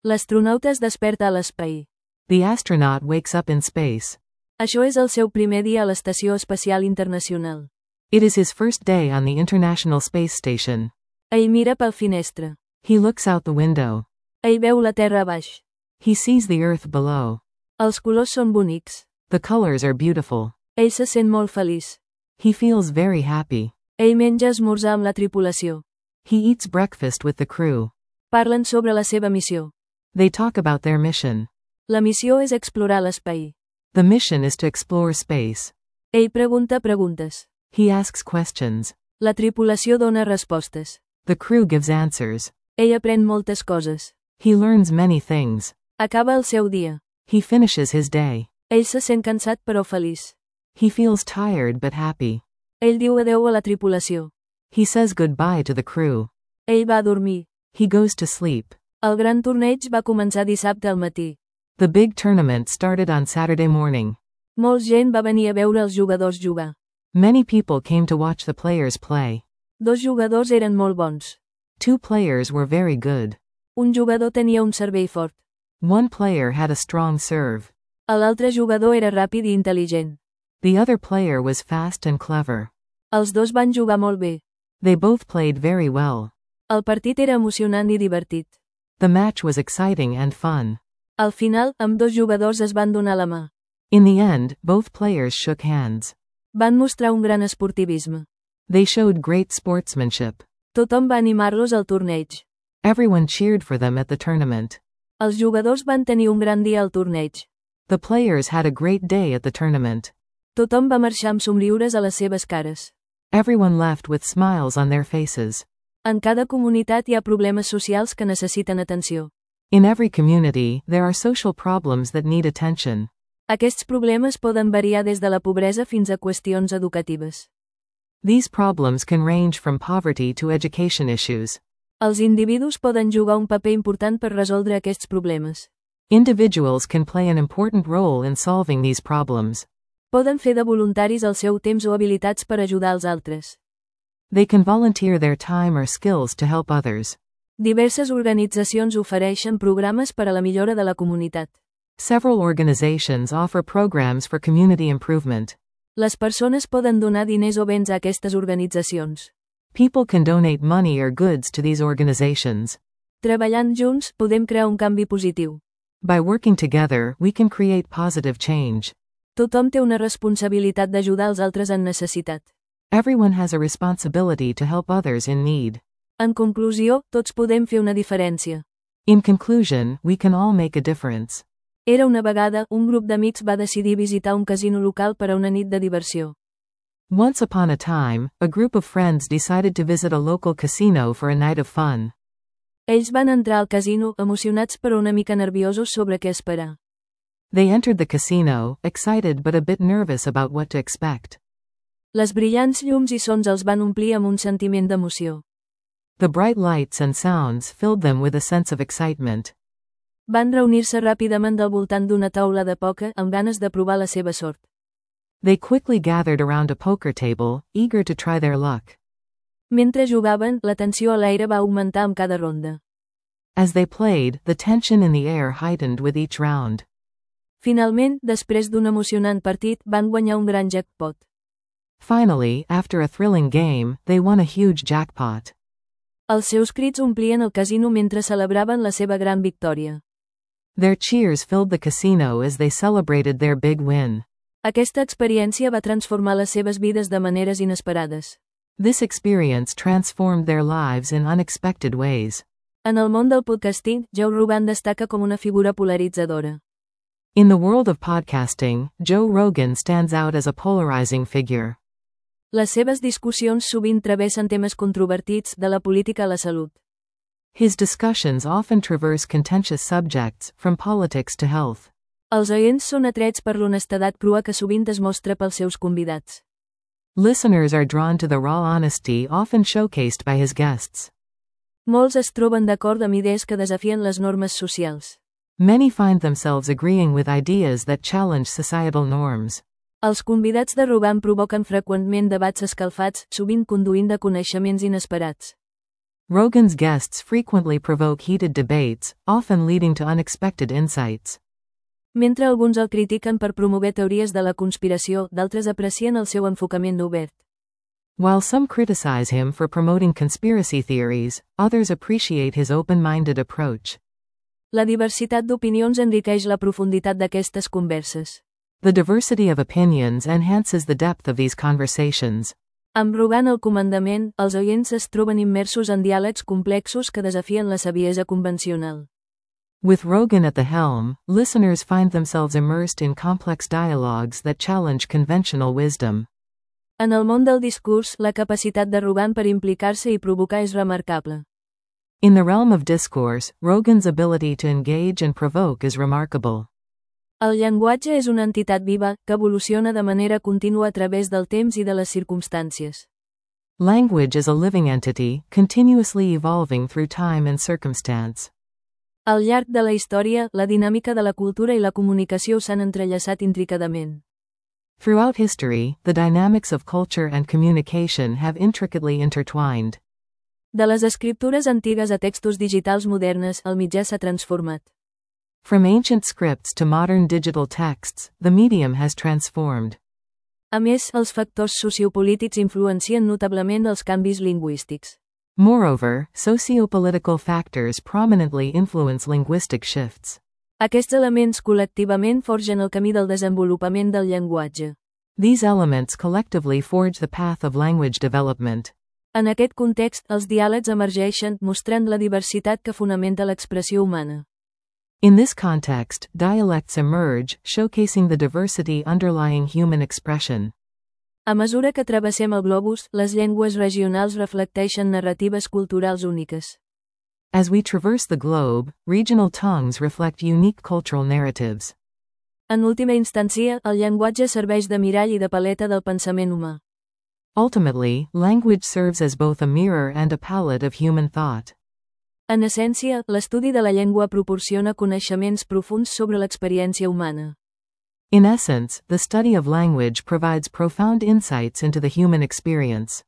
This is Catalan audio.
L'astronauta es desperta a l'espai. The astronaut wakes up in space. Això és el seu primer dia a l'Estació Espacial Internacional. It is his first day on the International Space Station. Ell mira pel finestra. He looks out the window. Ell veu la Terra a baix. He sees the Earth below. Els colors són bonics. The colors are beautiful. Ell se sent molt feliç. He feels very happy. Ell menja esmorzar amb la tripulació. He eats breakfast with the crew. Parlen sobre la seva missió. They talk about their mission. La missió és explorar l'espai. The mission is to explore space. Ell pregunta preguntes. He asks questions. La tripulació dona respostes. The crew gives answers. Ell aprèn moltes coses. He learns many things. Acaba el seu dia. He finishes his day. Ell se sent cansat però feliç. He feels tired but happy. Ell diu adeu a la tripulació. He says goodbye to the crew. Ell va a dormir. He goes to sleep. El gran torneig va començar dissabte al matí. The big tournament started on Saturday morning. Molts gent va venir a veure els jugadors jugar. Many people came to watch the players play. Dos jugadors eren molt bons. Two players were very good. Un jugador tenia un servei fort. One player had a strong serve. L'altre jugador era ràpid i intel·ligent. The other player was fast and clever. Els dos van jugar molt bé. They both played very well. El partit era emocionant i divertit. The match was exciting and fun. Al final, ambdós jugadors es van donar la mà. In the end, both players shook hands. Van mostrar un gran esportivisme. They showed great sportsmanship. Tothom va animar-los al torneig. Everyone cheered for them at the tournament. Els jugadors van tenir un gran dia al torneig. The players had a great day at the tournament. Tothom va marxar amb somriures a les seves cares. Everyone left with smiles on their faces. En cada comunitat hi ha problemes socials que necessiten atenció. In every community, there are social problems that need attention. Aquests problemes poden variar des de la pobresa fins a qüestions educatives. These problems can range from poverty to education issues. Els individus poden jugar un paper important per resoldre aquests problemes. Individuals can play an important role in solving these problems. Poden fer de voluntaris el seu temps o habilitats per ajudar els altres. They can volunteer their time or skills to help others. Diverses organitzacions ofereixen programes per a la millora de la comunitat. Several organizations offer programs for community improvement. Les persones poden donar diners o béns a aquestes organitzacions. People can donate money or goods to these organizations. Treballant junts, podem crear un canvi positiu. By working together, we can create positive change. Tothom té una responsabilitat d'ajudar els altres en necessitat. Everyone has a responsibility to help others in need. En conclusió, tots podem fer una diferència. In conclusion, we can all make a difference. Era una vegada, un grup d'amics va decidir visitar un casino local per a una nit de diversió. Once upon a time, a group of friends decided to visit a local casino for a night of fun. Ells van entrar al casino, emocionats però una mica nerviosos sobre què esperar. They entered the casino, excited but a bit nervous about what to expect. Les brillants llums i sons els van omplir amb un sentiment d'emoció. The bright lights and sounds filled them with a sense of excitement. Van reunir-se ràpidament al voltant d'una taula de pòquer amb ganes de provar la seva sort. They quickly gathered around a poker table, eager to try their luck. Mentre jugaven, la tensió a l'aire va augmentar amb cada ronda. As they played, the tension in the air heightened with each round. Finalment, després d'un emocionant partit, van guanyar un gran jackpot. Finally, after a thrilling game, they won a huge jackpot. Els seus crits omplien el casino mentre celebraven la seva gran victòria. Their cheers filled the casino as they celebrated their big win. Aquesta experiència va transformar les seves vides de maneres inesperades. This experience transformed their lives in unexpected ways. En el món del podcasting, Joe Rogan destaca com una figura polaritzadora. In the world of podcasting, Joe Rogan stands out as a polarizing figure. Les seves discussions sovint travessen temes controvertits, de la política a la salut. His discussions often traverse contentious subjects, from politics to health. Els oients són atrets per l'honestedat crua que sovint es mostra pels seus convidats. Listeners are drawn to the raw honesty often showcased by his guests. Molts es troben d'acord amb idees que desafien les normes socials. Many find themselves agreeing with ideas that challenge societal norms. Els convidats de Rogan provoquen freqüentment debats escalfats, sovint conduint de coneixements inesperats. Rogan's guests frequently provoke heated debates, often leading to unexpected insights. Mentre alguns el critiquen per promoure teories de la conspiració, d'altres aprecien el seu enfocament obert. While some criticize him for promoting conspiracy theories, others appreciate his open-minded approach. La diversitat d'opinions enriqueix la profunditat d'aquestes converses. The diversity of opinions enhances the depth of these conversations. Amb Rogan al comandament, els oients es troben immersos en diàlegs complexos que desafien la saviesa convencional. With Rogan at the helm, listeners find themselves immersed in complex dialogues that challenge conventional wisdom. En el món del discurs, la capacitat de Rogan per implicar-se i provocar és remarcable. In the realm of discourse, Rogan's ability to engage and provoke is remarkable. El llenguatge és una entitat viva, que evoluciona de manera contínua a través del temps i de les circumstàncies. Language is a living entity, continuously evolving through time and circumstance. Al llarg de la història, la dinàmica de la cultura i la comunicació s'han entrellaçat intricadament. Throughout history, the dynamics of culture and communication have intricately intertwined. De les escriptures antigues a textos digitals modernes, el mitjà s'ha transformat. From ancient scripts to modern digital texts, the medium has transformed. A més, els factors sociopolítics influencien notablement els canvis lingüístics. Moreover, sociopolitical factors prominently influence linguistic shifts. Aquests elements col·lectivament forgen el camí del desenvolupament del llenguatge. These elements collectively forge the path of language development. En aquest context, els diàlegs emergeixen, mostrant la diversitat que fonamenta l'expressió humana. In this context, dialects emerge, showcasing the diversity underlying human expression. A mesura que travessem el globus, les llengües regionals reflecteixen narratives culturals úniques. As we traverse the globe, regional tongues reflect unique cultural narratives. En última instància, el llenguatge serveix de mirall i de paleta del pensament humà. Ultimately, language serves as both a mirror and a palette of human thought. En essència, l'estudi de la llengua proporciona coneixements profunds sobre l'experiència humana. In essence, the study of language provides profound insights into the human experience.